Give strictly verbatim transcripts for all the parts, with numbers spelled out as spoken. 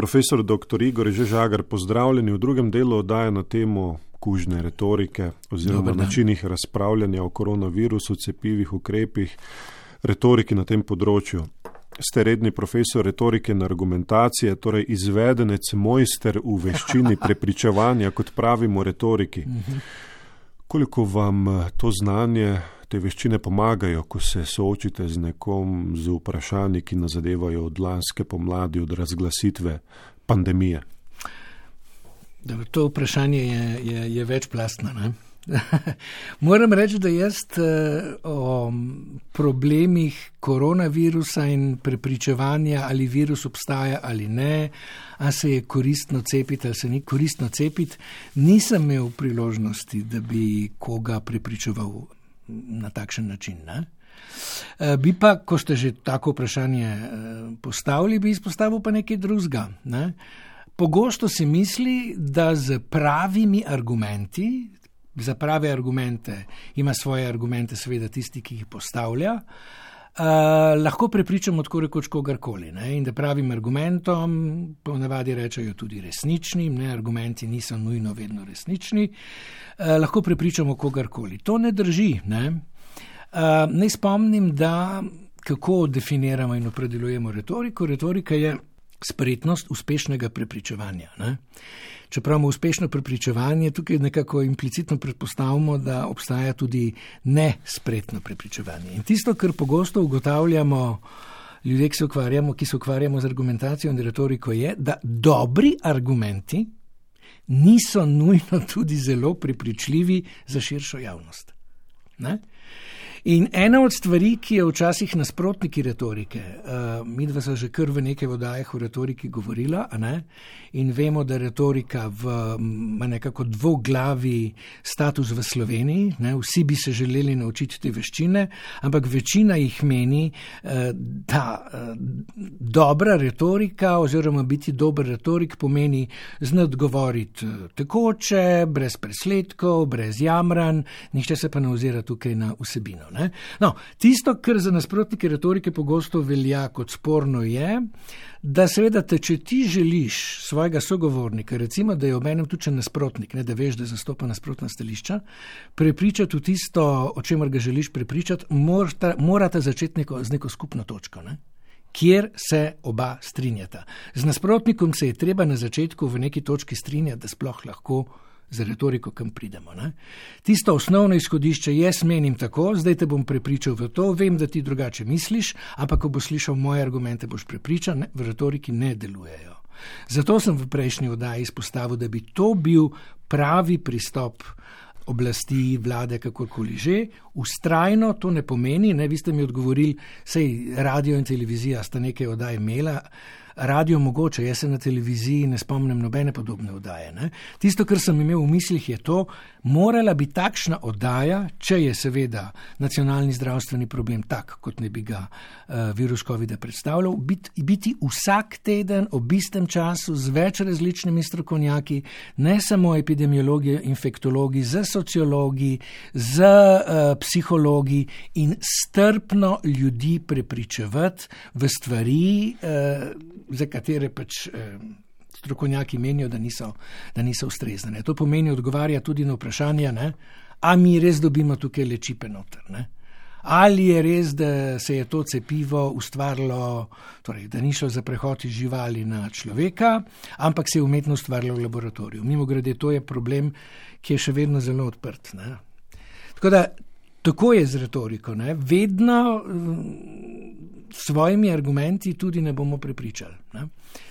Profesor doktor Igor Žežagar, pozdravljeni v drugem delu oddaje na temo kužne retorike oziroma načinih razpravljanja o koronavirusu, cepivih ukrepih, retoriki na tem področju. Ste redni profesor retorike in argumentacije, torej izvedenec, mojster v veščini prepričevanja, kot pravimo retoriki. Koliko vam to znanje, te veščine pomagajo, ko se soočite z nekom z vprašanji, ki nas zadevajo od lanske pomladi, od razglasitve pandemije? To vprašanje je, je, je večplastno, ne? Moram reči, da jaz o problemih koronavirusa in prepričevanja, ali virus obstaja ali ne, a se je koristno cepiti ali se ni koristno cepiti, nisem imel priložnosti, da bi koga prepričeval na takšen način, ne? Bi pa, ko ste že tako vprašanje postavili, bi izpostavil pa nekaj drugega, ne? Pogosto se misli, da z pravimi argumenti, za prave argumente, ima svoje argumente seveda tisti, ki jih postavlja, uh, lahko prepričamo tako rekoč kogarkoli, ne? In da pravim argumentom, ponavadi rečejo tudi resničnim, ne? Argumenti niso nujno vedno resnični, uh, lahko prepričamo kogarkoli. To ne drži, ne? Uh, naj spomnim, da kako definiramo in opredeljujemo retoriko. Retorika je spretnost uspešnega prepričevanja, ne? Čeprav imamo uspešno prepričevanje, tukaj nekako implicitno predpostavimo, da obstaja tudi nespretno prepričevanje. In tisto, kar pogosto ugotavljamo ljudje, ki se ukvarjamo, ki se ukvarjamo z argumentacijo in retoriko, je, da dobri argumenti niso nujno tudi zelo prepričljivi za širšo javnost, ne? In ena od stvari, ki je včasih nasprotniki retorike, uh, midva so že kar v nekaj oddajah o retoriki govorila, a ne? In vemo, da retorika v, ima nekako dvoglavi status v Sloveniji, ne? Vsi bi se želeli naučiti te veščine, ampak večina jih meni, uh, da uh, dobra retorika oziroma biti dober retorik pomeni znati govoriti tekoče, brez presledkov, brez jamranj, nihče se pa ne ozira tukaj na vsebino. Ne? No, tisto, kar za nasprotnike retorike pogosto velja kot sporno, je, da seveda te, če ti želiš svojega sogovornika, recimo, da je obenem tudi nasprotnik, ne, da veš, da zastopa nasprotna stališča, prepričati v tisto, o čemer ga želiš prepričati, morata, morata začeti neko, z neko skupno točko, ne? Kjer se oba strinjata. Z nasprotnikom se je treba na začetku v neki točki strinjati, da sploh lahko za retoriko, kam pridemo, ne? Tisto osnovno izhodišče, jaz menim tako, zdaj te bom prepričal v to, vem, da ti drugače misliš, ampak ko boš slišal moje argumente, boš prepričan, ne, v retoriki ne delujejo. Zato sem v prejšnji oddaji izpostavil, da bi to bil pravi pristop oblasti, vlade, kakorkoli že. Vztrajno to ne pomeni, ne, vi ste mi odgovorili, sej radio in televizija sta nekaj oddaj imela, radio mogoče, jaz se na televiziji ne spomnim nobene podobne oddaje, ne. Tisto, kar sem imel v mislih, je to, morala bi takšna oddaja, če je seveda nacionalni zdravstveni problem tak, kot ne bi ga uh, virus covida predstavljal, biti, biti vsak teden ob istem času z več različnimi strokovnjaki, ne samo epidemiologi, infektologi, z sociologi, z uh, psihologi in strpno ljudi prepričevati v stvari, uh, za katere pač uh, strokovnjaki menijo, da niso, da niso ustrezne. To pomeni odgovarja tudi na vprašanje, ne? A mi res dobimo tukaj lečipe noter, ne? Ali je res, da se je to cepivo ustvarilo, torej, da ni šlo za prehod iz živali na človeka, ampak se je umetno ustvarilo v laboratoriju. Mimogrede, to je problem, ki je še vedno zelo odprt, ne? Tako da, tako je z retoriko, ne? Vedno s svojimi argumenti tudi ne bomo prepričali, ne?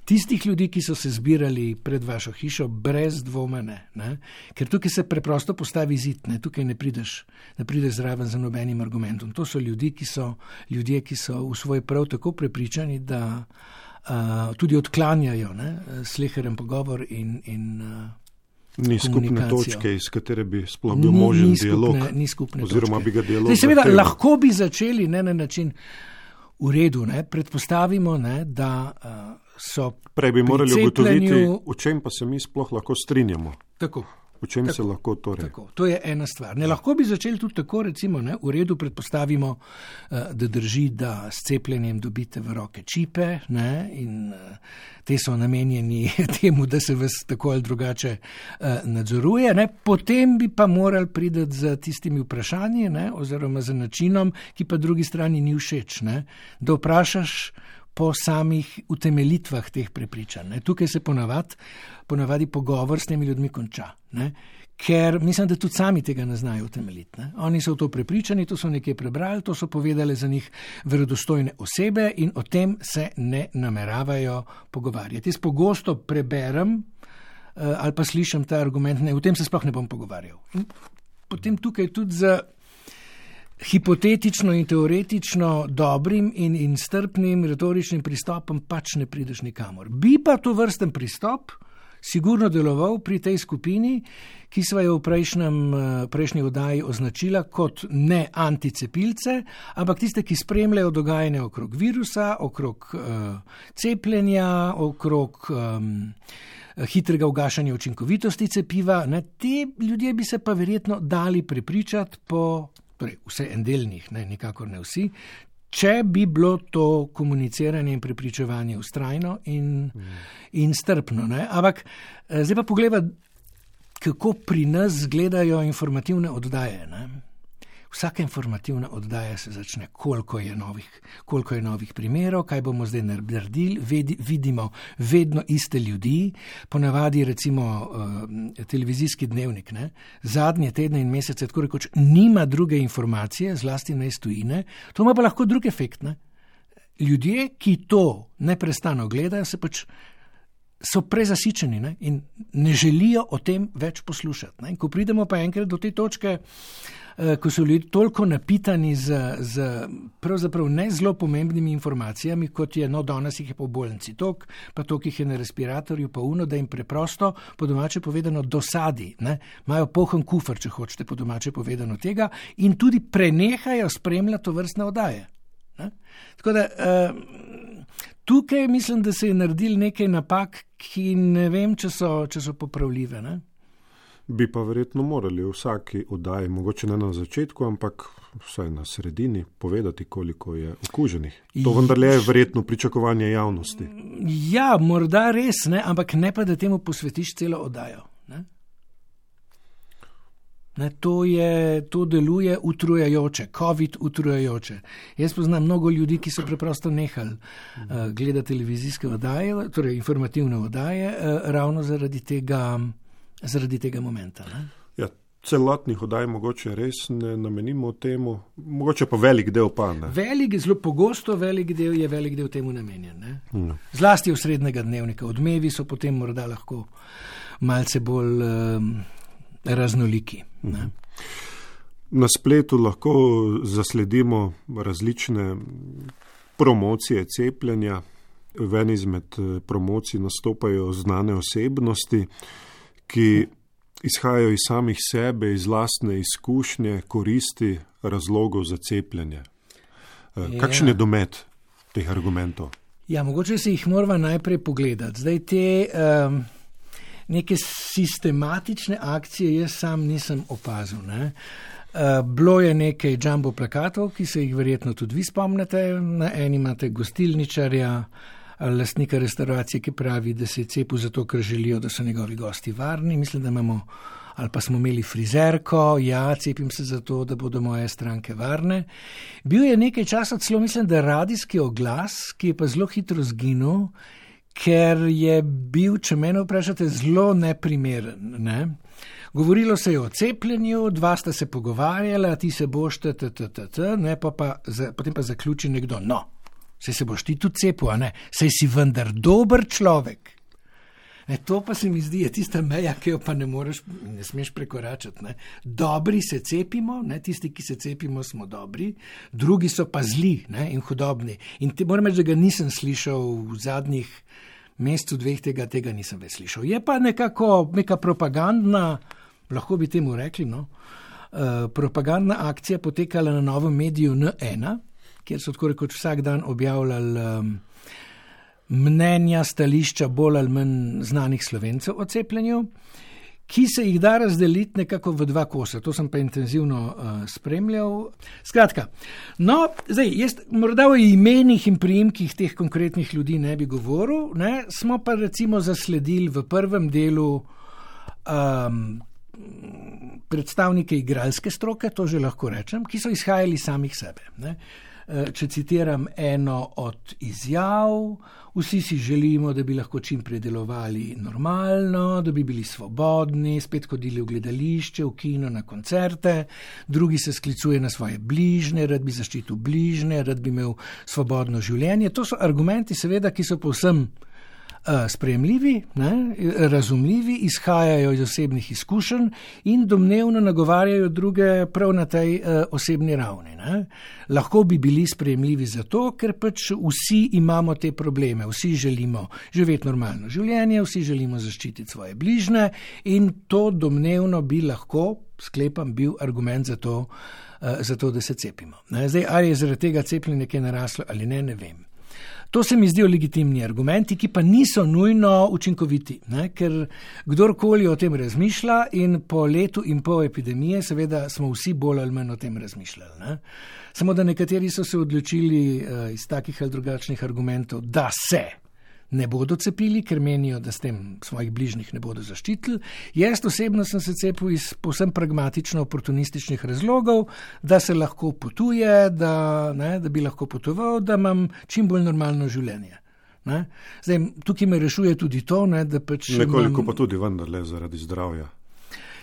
Tistih ljudi, ki so se zbirali pred vašo hišo, brez dvoma ne, ne? Ker tukaj se preprosto postavi zid, ne? Tukaj ne prideš, ne prideš zraven za nobenim argumentom. To so ljudi, ki so, ljudje, ki so v svoj prav tako prepričani, da uh, tudi odklanjajo, ne? Sleheren pogovor in, in uh, Ni skupne točke, iz katere bi sploh bil možen ni dialog, skupne, ni skupne oziroma točke. Bi ga dialog Zdaj, seveda, zahteval. lahko bi začeli ne, na način v redu, ne, predpostavimo, ne, da uh, so Prej bi morali pri cepljenju... ugotoviti, v čem pa se mi sploh lahko strinjamo. Tako. O čem tako, se lahko torej? Tako, to je ena stvar. Ne, lahko bi začeli tudi tako, recimo, ne, v redu predpostavimo, da drži, da s cepljenjem dobite v roke čipe, ne, in te so namenjeni temu, da se vas tako ali drugače nadzoruje. Ne. Potem bi pa morali priti z tistimi vprašanji, ne, oziroma z načinom, ki pa drugi strani ni všeč, ne, da vprašaš po samih utemelitvah teh prepričanj. Ne. Tukaj se ponavadi, ponavadi pogovor s temi ljudmi konča, ne. Ker mislim, da tudi sami tega ne znajo utemeljiti. Ne. Oni so v to prepričani, to so nekje prebrali, to so povedali za njih verodostojne osebe in o tem se ne nameravajo pogovarjati. Jaz pogosto preberem ali pa slišim ta argument, ne, o tem se sploh ne bom pogovarjal. In potem tukaj tudi za hipotetično in teoretično dobrim in, in strpnim retoričnim pristopom pač ne prideš nikamor. Bi pa to vrsten pristop sigurno deloval pri tej skupini, ki sva jo v prejšnjem, prejšnji oddaji označila kot ne anticepilce, ampak tiste, ki spremljajo dogajanje okrog virusa, okrog uh, cepljenja, okrog um, hitrega ugašanja učinkovitosti cepiva. Ne, te ljudje bi se pa verjetno dali prepričati po, torej vse en del njih, ne, nikakor ne vsi, če bi bilo to komuniciranje in prepričevanje vztrajno in, mm. in strpno. Ne. Ampak zdaj pa pogleda, kako pri nas gledajo informativne oddaje. Ne. Vsaka informativna oddaja se začne, koliko je novih, koliko je novih primerov, kaj bomo zdaj naredili, Vedi, vidimo vedno iste ljudi, ponavadi recimo uh, televizijski dnevnik, ne, zadnje tedne in mesece, tako rekoč, nima druge informacije, zlasti ne iz tujine, to ima pa lahko drug efekt. Ne. Ljudje, ki to neprestano gledajo, se pač so prezasičeni, ne, in ne želijo o tem več poslušati. Ne. In ko pridemo pa enkrat do te točke, ko so ljudje toliko napitani z, z pravzaprav ne zelo pomembnimi informacijami, kot je, no, danes jih je po bolnici tok, pa tok jih je na respiratorju, pa uno, da jim preprosto, po domače povedano, dosadi, ne, imajo poln kufer, če hočete, po domače povedano tega, in tudi prenehajo spremljati to vrstne oddaje. Ne. Tako da, uh, tukaj mislim, da se je naredil nekaj napak, ki ne vem, če so, če so popravljive, ne. Bi pa verjetno morali v vsaki oddaji, mogoče ne na začetku, ampak vsaj na sredini, povedati, koliko je okuženih. To vendarle je verjetno pričakovanje javnosti. Ja, morda res, ne, ampak ne pa, da temu posvetiš celo oddajo. Ne? Ne, to, je, to deluje utrujajoče, COVID utrujajoče. Jaz poznam mnogo ljudi, ki so preprosto nehali uh, gledati televizijske oddaje, torej informativne oddaje, uh, ravno zaradi tega zaradi tega momenta. Ne? Ja, celotnih oddaj mogoče res ne namenimo temu, mogoče pa velik del pa ne. Velik, zelo pogosto velik del je velik del temu namenjen. Ne? No. Zlasti v srednjega dnevnika. Odmevi so potem morda lahko malce bolj um, raznoliki. Ne? Na spletu lahko zasledimo različne promocije cepljenja. V eni izmed promocij nastopajo znane osebnosti, ki izhajajo iz samih sebe, iz lastne izkušnje, koristi, razlogov za cepljenje. Kakšen je domet teh argumentov? Ja, mogoče se jih moramo najprej pogledati. Zdaj te um, neke sistematične akcije jaz sam nisem opazil. Ne? Uh, bilo je nekaj jumbo plakatov, ki se jih verjetno tudi vi spomnite. Na eni imate gostilničarja, lastnika restauracije, ki pravi, da se je cepil zato, ker želijo, da so njegovi gosti varni. Mislim, da imamo, ali pa smo imeli frizerko, ja, cepim se zato, da bodo moje stranke varne. Bil je nekaj časa celo, mislim, da radijski oglas, ki je pa zelo hitro zginil, ker je bil, če mene vprašate, zelo neprimeren. Ne? Govorilo se je o cepljenju, dva sta se pogovarjala, ti se boš, t, t, t, t, t, ne, pa pa, potem pa zaključi nekdo, no, saj se boš ti tudi cepil, a ne? Saj si vendar dober človek. Ne, to pa se mi zdi, je tista meja, ki jo pa ne moreš, ne smeš prekoračati. Ne? Dobri se cepimo, ne? Tisti, ki se cepimo, smo dobri, drugi so pa zli, ne? In hudobni. In te, moram reči, da ga nisem slišal v zadnjih mesecu, dveh tega, tega nisem več slišal. Je pa nekako neka propagandna, lahko bi temu rekli, no? Uh, propagandna akcija potekala na novem mediju N ena, kjer so tako rekoč vsak dan objavljali um, mnenja, stališča bolj ali manj znanih Slovencev o cepljenju, ki se jih da razdeliti nekako v dva kosa. To sem pa intenzivno uh, spremljal. Skratka, no, zdaj, jaz morda o imenih in priimkih teh konkretnih ljudi ne bi govoril, ne, smo pa recimo zasledili v prvem delu um, predstavnike igralske stroke, to že lahko rečem, ki so izhajali samih sebe, ne. Če citiram eno od izjav, vsi si želimo, da bi lahko čim predelovali normalno, da bi bili svobodni, spet hodili v gledališče, v kino, na koncerte, drugi se sklicuje na svoje bližnje, rad bi zaščitil bližnje, rad bi imel svobodno življenje. To so argumenti, seveda, ki so povsem sprejemljivi, ne, razumljivi, izhajajo iz osebnih izkušenj in domnevno nagovarjajo druge prav na tej uh, osebni ravni. Ne. Lahko bi bili sprejemljivi zato, ker pač vsi imamo te probleme, vsi želimo živeti normalno življenje, vsi želimo zaščititi svoje bližnje in to domnevno bi lahko, sklepam, bil argument za to, uh, za to da se cepimo. Ne. Zdaj, ali je zaradi tega cepljenje nekaj naraslo ali ne, ne vem. To se mi zdijo legitimni argumenti, ki pa niso nujno učinkoviti, ne? Ker kdorkoli o tem razmišlja in po letu in pol epidemije seveda smo vsi bolj ali manj o tem razmišljali. Ne? Samo da nekateri so se odločili uh, iz takih ali drugačnih argumentov, da se ne bodo cepili, ker menijo, da s tem svojih bližnjih ne bodo zaščitili. Jaz osebno sem se cepil iz povsem pragmatično-oportunističnih razlogov, da se lahko potuje, da, ne, da bi lahko potoval, da imam čim bolj normalno življenje. Ne. Zdaj, tukaj me rešuje tudi to, ne, da pač nekoliko imam... pa tudi vendarle zaradi zdravja.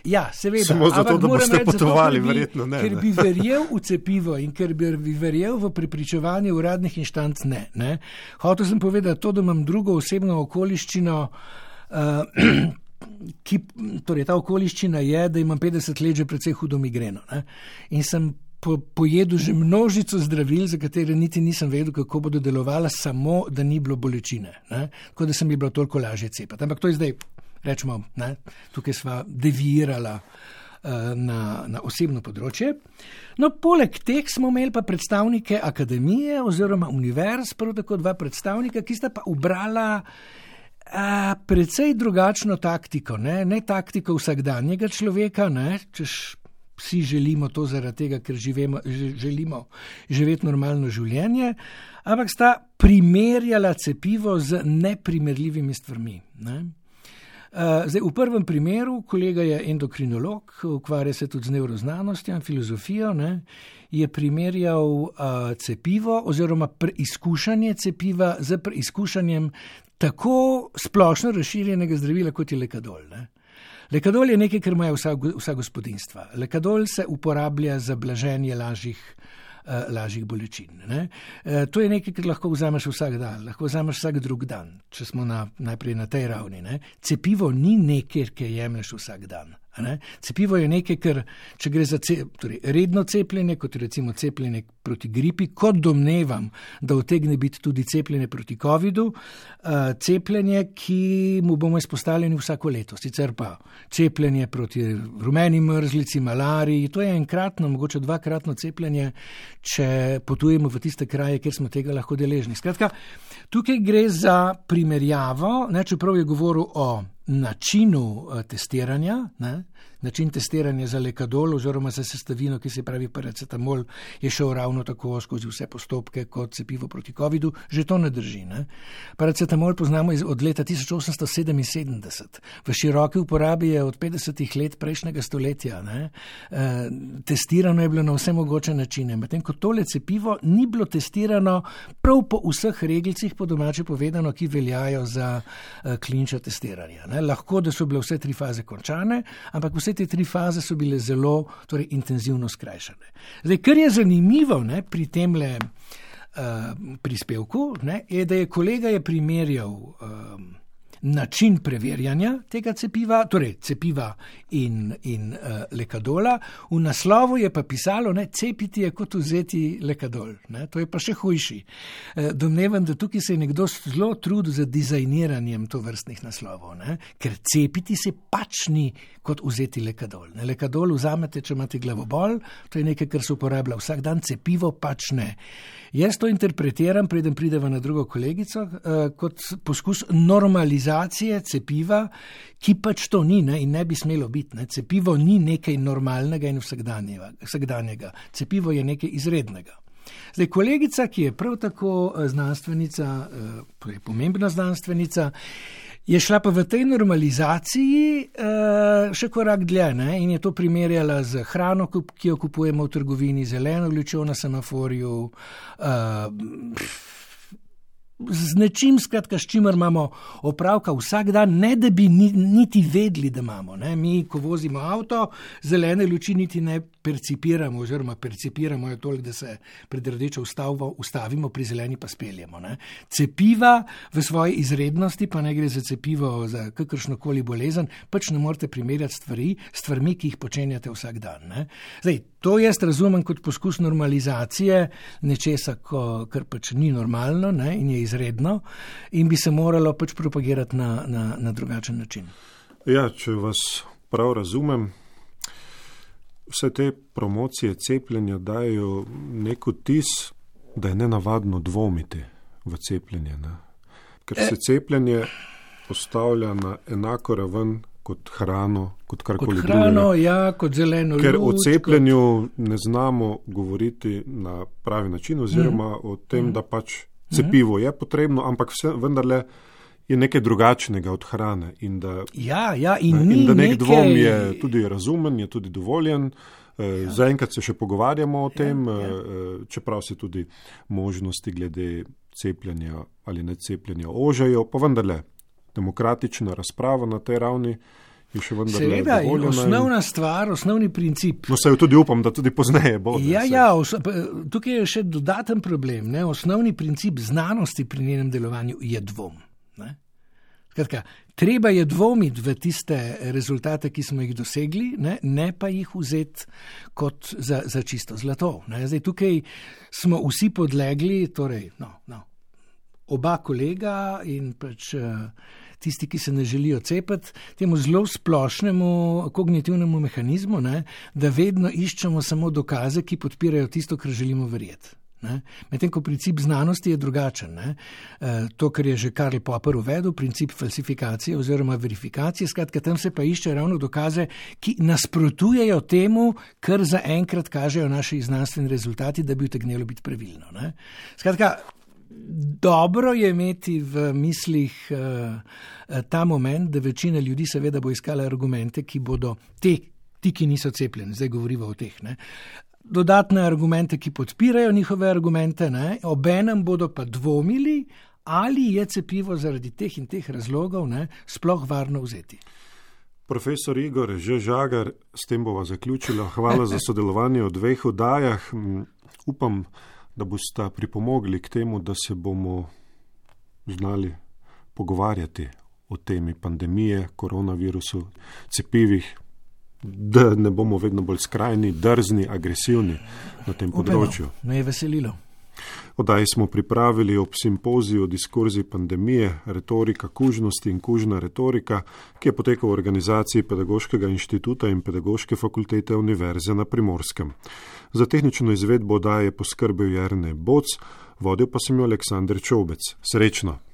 Ja, seveda. Samo zato, da boste reči, potovali, zato, ker bi, verjetno ne. Ker bi verjel v cepivo in ker bi verjel v prepričevanje uradnih inštanc, ne. ne. Hotel sem povedati to, da imam drugo osebno okoliščino, uh, ki, torej ta okoliščina je, da imam petdeset let že precej hudo migreno. Ne. In sem po, pojedel že množico zdravil, za katere niti nisem vedel, kako bodo delovala, samo da ni bilo bolečine. Ne. Tako da sem mi bilo toliko lažje cepati. Ampak to je zdaj... Rečemo, ne, tukaj sva deviirala uh, na, na osebno področje. No, poleg teh smo imeli pa predstavnike akademije oziroma univerz, prav tako dva predstavnika, ki sta pa ubrala uh, precej drugačno taktiko, ne, ne taktiko vsakdanjega človeka, ne, češ vsi želimo to zaradi tega, ker živemo, želimo živeti normalno življenje, ampak sta primerjala cepivo z neprimerljivimi stvarmi, ne. Uh, zdaj, v prvem primeru, kolega je endokrinolog, ukvarja se tudi z nevroznanostjo in filozofijo, ne, je primerjal uh, cepivo oziroma preizkušanje cepiva z preizkušanjem tako splošno razširjenega zdravila, kot je lekadol. Ne. Lekadol je nekaj, kar imajo vsa, vsa gospodinstva. Lekadol se uporablja za blaženje lažjih lažjih bolečin. Ne? E, to je nekaj, kar lahko vzameš vsak dan, lahko vzameš vsak drug dan, če smo na, najprej na tej ravni. Ne? Cepivo ni nekaj, kar jemlješ vsak dan. Ne? Cepivo je nekaj, kar, če gre za ce, torej, redno cepljenje, kot recimo cepljenje proti gripi, kot domnevam, da utegne biti tudi cepljenje proti covidu, uh, cepljenje, ki mu bomo izpostavljeni vsako leto. Sicer pa cepljenje proti rumeni mrzlici, malariji, to je enkratno, mogoče dvakratno cepljenje, če potujemo v tiste kraje, kjer smo tega lahko deležni. Skratka, tukaj gre za primerjavo, ne, čeprav je govoril o načinu uh, testiranja, ne, način testiranja za lekadol oziroma za sestavino, ki se pravi paracetamol, je šel ravno tako skozi vse postopke kot cepivo proti covidu, že to ne drži. Ne? Paracetamol poznamo iz, od leta tisoč osemsto sedeminsedemdeset. V široki uporabi je od petdesetih let prejšnjega stoletja. Ne? E, testirano je bilo na vse mogoče načine. Medtem ko tole cepivo ni bilo testirano prav po vseh reglcih, po domače povedano, ki veljajo za e, klinična testiranja. Ne? Lahko, da so bile vse tri faze končane, ampak vse te tri faze so bile zelo, torej, intenzivno skrajšane. Zdaj, kar je zanimivo, ne, pri temle uh, prispevku, ne, je, da je kolega je primerjal um, način preverjanja tega cepiva, torej cepiva in, in uh, lekadola. V naslovu je pa pisalo, ne, cepiti je kot vzeti lekadol. Ne, to je pa še hujši. Uh, domnevam, da tukaj se je nekdo zelo trudil za dizajniranjem tovrstnih naslovov, ne, ker cepiti se pač ni kot vzeti lekadol. Ne, lekadol vzamete, če imate glavobol, to je nekaj, kar se uporablja vsak dan, cepivo pač ne. Jaz to interpretiram, preden prideva na drugo kolegico, uh, kot poskus normalizacije normalizacije cepiva, ki pač to ni, ne, in ne bi smelo biti. Ne. Cepivo ni nekaj normalnega in vsakdanjega. Cepivo je nekaj izrednega. Zdaj, kolegica, ki je prav tako znanstvenica, torej pomembna znanstvenica, je šla pa v tej normalizaciji še korak dlje, ne, in je to primerjala z hrano, ki jo kupujemo v trgovini, zeleno lučjo na semaforju, z nečim, skratka, s čimer imamo opravka vsak dan, ne da bi niti vedeli, da imamo. Ne. Mi, ko vozimo avto, zelene luči niti ne percipiramo, oziroma percipiramo jo toliko, da se pred rdečo ustavimo, ustavimo, pri zeleni pa speljemo. Ne. Cepiva v svoji izrednosti, pa ne gre za cepivo za kakršnokoli bolezen, pač ne morete primerjati stvari, stvarmi, ki jih počenjate vsak dan. Ne. Zdaj, to jaz razumem kot poskus normalizacije nečesa, ko, kar pač ni normalno, ne, in je izredno in bi se moralo pač propagirati na, na, na drugačen način. Ja, če vas prav razumem, vse te promocije cepljenja dajo nek vtis, da je nenavadno dvomiti v cepljenje. Ne? Ker se cepljenje postavlja na enako raven kot hrano, kot karkoli drugega. Kot hrano, drugega. Ja, kot zeleno luč. Ker o cepljenju kot... ne znamo govoriti na pravi način, oziroma mm. o tem, mm. da pač cepivo je potrebno, ampak vse, vendarle je nekaj drugačnega od hrane. In da, ja, ja, in ne, in da nek nekaj... dvom je tudi razumen, je tudi dovoljen. Ja. Zaenkrat se še pogovarjamo o tem, ja, ja. čeprav se tudi možnosti glede cepljenja ali ne cepljenja ožajo, pa vendarle demokratična razprava na tej ravni je še vendarle Seveda, dovoljena. Seveda, osnovna stvar, osnovni princip. No, se jo tudi upam, da tudi pozneje bo. Ja, ja, os, tukaj je še dodaten problem. Ne? Osnovni princip znanosti pri njenem delovanju je dvom. Ne? Skratka, treba je dvomiti v tiste rezultate, ki smo jih dosegli, ne, ne pa jih vzeti kot za, za čisto zlato. Ne? Zdaj, tukaj smo vsi podlegli, torej, no, no, oba kolega in pač tisti, ki se ne želijo cepiti, temu zelo splošnemu kognitivnemu mehanizmu, ne, da vedno iščemo samo dokaze, ki podpirajo tisto, kar želimo verjeti. Medtem ko princip znanosti je drugačen. Ne? To, kar je že Karl Popper uvedel, princip falsifikacije oziroma verifikacije, skratka, tam se pa išče ravno dokaze, ki nasprotujejo temu, kar zaenkrat kažejo naši znanstveni rezultati, da bi utegnilo biti pravilno. Ne? Skratka, dobro je imeti v mislih uh, ta moment, da večina ljudi seveda bo iskala argumente, ki bodo te, ti, ki niso cepljeni, zdaj govorimo o teh, ne, dodatne argumente, ki podpirajo njihove argumente, ne, obenem bodo pa dvomili, ali je cepivo zaradi teh in teh razlogov, ne, sploh varno vzeti. Profesor Igor Žagar, s tem bova zaključila. Hvala za sodelovanje v dveh oddajah. Upam, da boste pripomogli k temu, da se bomo znali pogovarjati o temi pandemije, koronavirusu, cepivih, da ne bomo vedno bolj skrajni, drzni, agresivni na tem področju. Me je veselilo. Oddaji smo pripravili ob simpoziju o diskurziji pandemije, retorika kužnosti in kužna retorika, ki je potekal v organizaciji Pedagoškega inštituta in Pedagoške fakultete Univerze na Primorskem. Za tehnično izvedbo oddaje je poskrbel Jernej Boc, vodil pa sem jo Aleksander Čobec. Srečno!